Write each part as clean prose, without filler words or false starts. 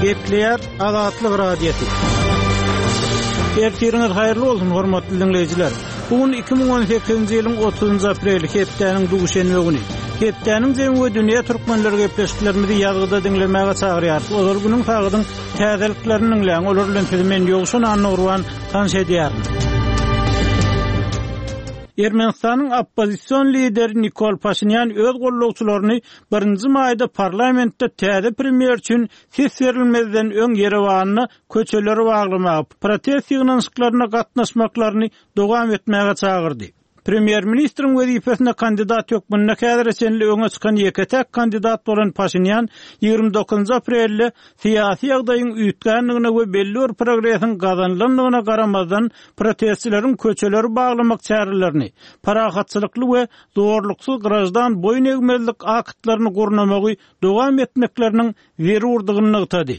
Gepleýär Azatlyk Radiosy. Ertiriňiz haýyrly bolsun, hormatly diňleýjiler. Bu gün 2018-nji ýylyň 30-njy apreli, hepdäniň duşenbe güni. Hepdäniň jemi we dünýä türkmenleri gepleşiklerimizi ýazgyda diňlemäge çagyrýarys. Ozal günüň sagadyň täzeliklerini diňläň. Olar bilen sizi men Ýowşan Annagurban tanyş edýärin. Ermenistanyň oppozision lideri Nikol Paşinýan öz gollagçylaryny birinji maýda parlamentde täze premýer üçin ses berilmezden öň Ýerewanda köçeleri baglamaga, protest ýygnanyşyklaryna gatnaşmaklaryny dowam etmäge çagyrdy. Premýer-ministriň wezipesine kandidat hökmünde häzire çenli öňe çykan ýeke-täk kandidat bolan Paşinýan 29 aprelde syýasy ýagdaýyň üýtgändigine we belli bir progresiň gazanylandygyna garamazdan protestçileriň köçeleri baglamak çärelerini, parahatçylykly we zorluksyz graždan boýun egmezlik aktlaryny gurnamagy dowam etmekleriniň zerurdygyny nygtady.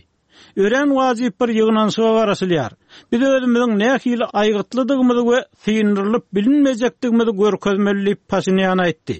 Örän wajyp bir ýygnanyşyga garaşylýar. Biz özümiziň nähili aýgytlydygymyzy we syndyrylyp bilinmejekdigimizi görkezmeli diýip, Paşinýan aýtdy.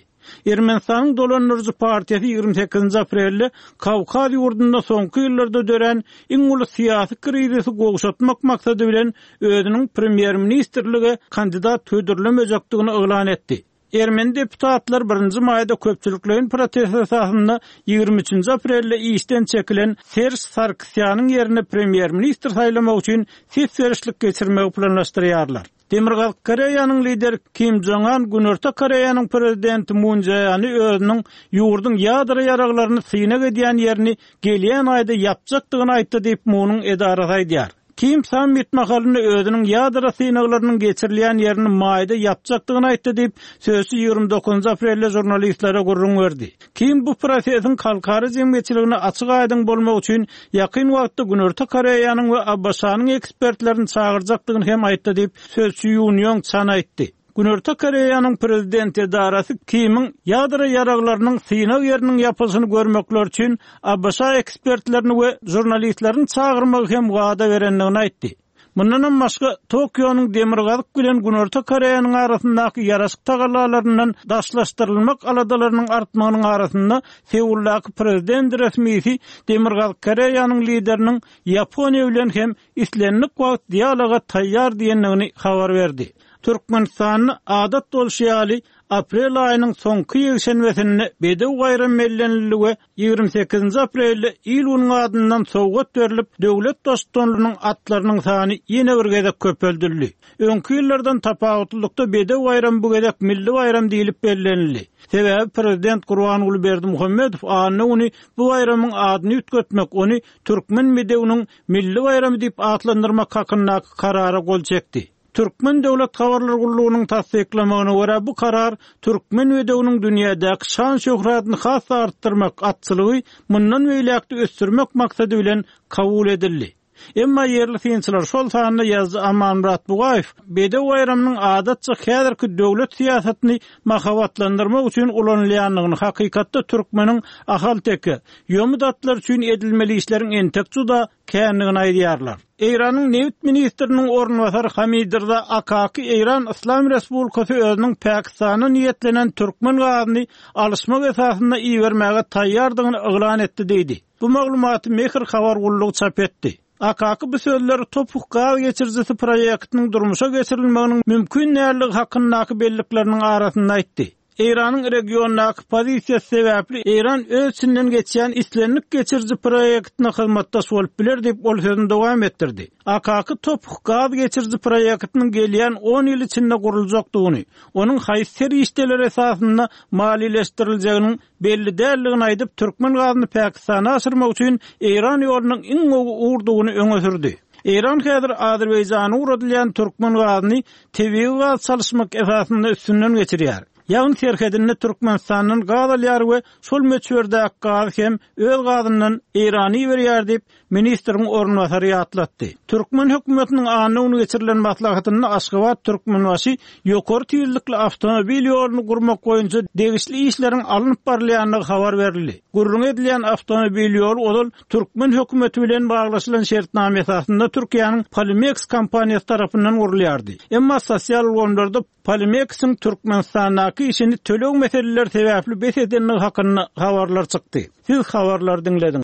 Ermenistanyň dolandyryjy partiýasy 28-nji aprelde Kawkaz ýurdunda soňky ýyllarda dörän iň uly syýasy krizisi gowşatmak maksady bilen özüniň premýer-ministrlige kandidat hödürlemejekdigini yglan etdi. Ermeni deputatlar birinji maýda köpçülikleýin protest esasynda 23-nji aprelde işden çekilen Serž Sarkisýanyň ýerine premýer-ministr saýlamak üçin ses berişlik geçirmegi planlaşdyrýarlar. Demirgazyk Koreýanyň lideri Kim Jong An Günorta Koreýanyň prezidenti Mun Jae-any özüniň ýurduň ýadro ýaraglaryny synag edýän ýerini gelýän aýda ýapjakdygyny aýtdy diýip, Munuň edarasy aýdýar. Kim sammit mahalynda özüniň ýadro synaglarynyň geçirilýän ýerini maýda ýapjakdygyny aýtdy diýip, sözçi 29 aprelde žurnalistlere gürrüň berdi. Kim bu prosesiň halkara jemgyýetçiligine açyk-aýdyň bolmagy üçin ýakyn wagtda Günorta Koreýanyň we ABŞ-nyň ekspertlerini çagyrjakdygyny hem aýtdy diýip, sözçi Ýun Ýong Çan aýtdy. Günorta Koreýanyň prezident edarasy Kimiň ýadro ýaraglarynyň synag ýeriniň ýapylyşyny görmekleri üçin ABŞ ekspertlerini we žurnalistlerini çagyrmagy hem wada berendigini aýtdy. Mundanam başga, Tokionyň Demirgazyk bilen Günorta Koreýanyň arasyndaky ýaraşyk tagallalaryndan daşlaşdyrylmak aladalarynyň artmagynyň arasynda Seuldaky prezident resmisi Demirgazyk Koreýanyň lideriniň Ýaponiýa bilen hem islendik wagt dialoga taýýar diýendigini habar berdi. Türkmenistanda adat bolşy ýaly, aprel aýynyň soňky ýekşenbesinde Bedew baýramy bellenildi we 28-nji aprelde il-günüň adyndan sowgat berlip, döwlet Baştutanynyň atlarynyň sany ýene bir gezek köpeldildi. Öňki ýyllardan tapawutlylykda Bedew baýramy bu gezek milli baýram diýlip bellenildi. Sebäbi prezident Gurbanguly Berdimuhamedow anna güni bu baýramyň adyny üýtgetmek, ony Türkmen bedewiniň milli baýramy diýip atlandyrmak hakyndaky Karara gol çekdi. Türkmen döwlet habarlar gullugynyň tassyklamagyna görä, bu karar türkmen bedewiniň dünýädäki şan-şöhratyny has-da artdyrmak, atçylygy mundan beýläk-de ösdürmek maksady bilen kabul edildi. Emma ýerli synçylar, şol sanda ýazyjy Amanmyrat Bugaýew Bedew baýramynyň adatça häzirki döwlet syýasatyny mahabatlandyrmak üçin ulanylýandygyny, hakykatda türkmeniň ahalteke, ýomut atlary üçin edilmeli işleriň entek juda kändigini aýdýarlar. Eýranyň nebit ministriniň orunbasary Hamidrza Akaki Eýran Yslam Respublikasy özüniň Pakistana niýetlenen türkmen gazyny alyşmak esasynda ibermäge taýýardygyny yglan etdi diýdi. Bu maglumaty Mehr habar gullugy çap etdi. Akaki bu sözleri Topuh gaz geçirijisi proýektiniň durmuşa geçirilmeginiň mümkin däldigi hakyndaky bellikleriniň arasynda aýtdy. Eýranyň regiondaky pozisiýasy sebäpli Eýran öz içinden geçýän islendik geçiriji proýektine hyzmatdaş bolup biler diýip, ol sözüni dowam etdirdi. Akaky Toph gaz geçiriji proýektiniň gelýän on ýyl içinde guruljakdygyny, onuň haýsy serişdeler esasynda maliýeleşdiriljeginiň belli däldigini aýdyp, türkmen gazyny Pakistana aşyrmak üçin Eýran ýolunyň iň gowy ugurdygyny öňe sürdi. Eýran häzir Azerbaýjana ugradylýan türkmen gazyny tebigy gaz çalyşmak esasynda üstünden geçirýär. Ýagny serhedinde Türkmenistandan gaz alýar we şol möçberdäki gazy hem öz gazyndan Eýrana iberýär diýip, ministriň orunbasary ýatlatdy. Türkmen hökümetiniň anna güni geçirilen maslahatynda Aşgabat-Türkmenbaşy ýokary tizlikli awtomobil ýoluny gurmak boýunça degişli işleriň alnyp barylýandygy habar berildi. Gürrüňi edilýän awtomobil ýoly ozal türkmen hökümeti bilen baglaşylan şertnama esasynda Türkiýäniň Polimeks kompaniýasy tarapyndan gurulýardy. Emma sosial ulgamlarda Polimeksiň Türkmenistandaky işini töleg meseleleri sebäpli bes edendigi hakynda habarlar çykdy. Siz habarlary diňlediňiz.